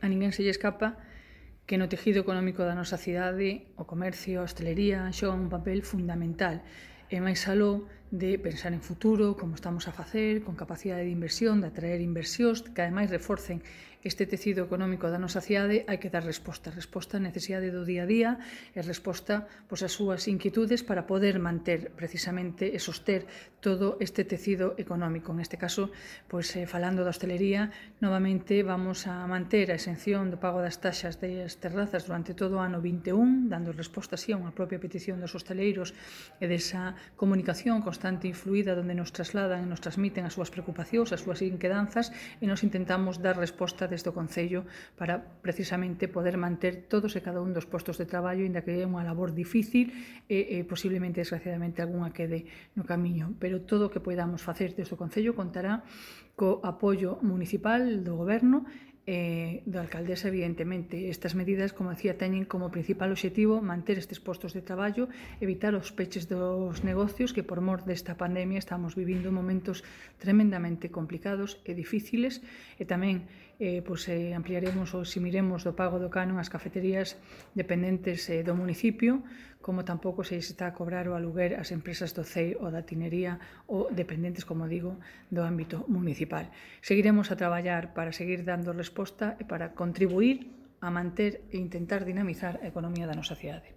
A ninguén se lle escapa que no tejido económico da nosa cidade o comercio, a hostelería xogan un papel fundamental e máis aló de pensar en futuro, como estamos a facer, con capacidade de inversión, de atraer inversións, que ademais reforcen este tecido económico da nosa cidade, hai que dar resposta á necesidade do día a día e resposta ás súas inquietudes para poder manter precisamente e soster todo este tecido económico. En este caso, falando da hostelería, novamente vamos a manter a exención do pago das taxas das terrazas durante todo o ano 21, dando resposta así a unha propia petición dos hosteleiros e desa comunicación constante e influída onde nos trasladan e nos transmiten as súas preocupacións, as súas inquedanzas e nos intentamos dar resposta desde o Concello para precisamente poder manter todos e cada un dos postos de traballo, inda que é unha labor difícil e posiblemente, desgraciadamente, algunha quede no camiño. Pero todo o que podamos facer desde o Concello contará co apoio municipal do Goberno da alcaldesa, evidentemente. Estas medidas, como decía, teñen como principal obxectivo manter estes postos de traballo, evitar os peches dos negocios que por mor desta pandemia estamos vivindo momentos tremendamente complicados e difíciles e tamén ampliaremos ou eximiremos do pago do canon ás cafeterías dependentes do municipio, como tampouco se está a cobrar o aluguer ás empresas do CEI ou da tinería ou dependentes, como digo, do ámbito municipal. Seguiremos a traballar para seguir dando resposta e para contribuir a manter e intentar dinamizar a economía da nosa cidade.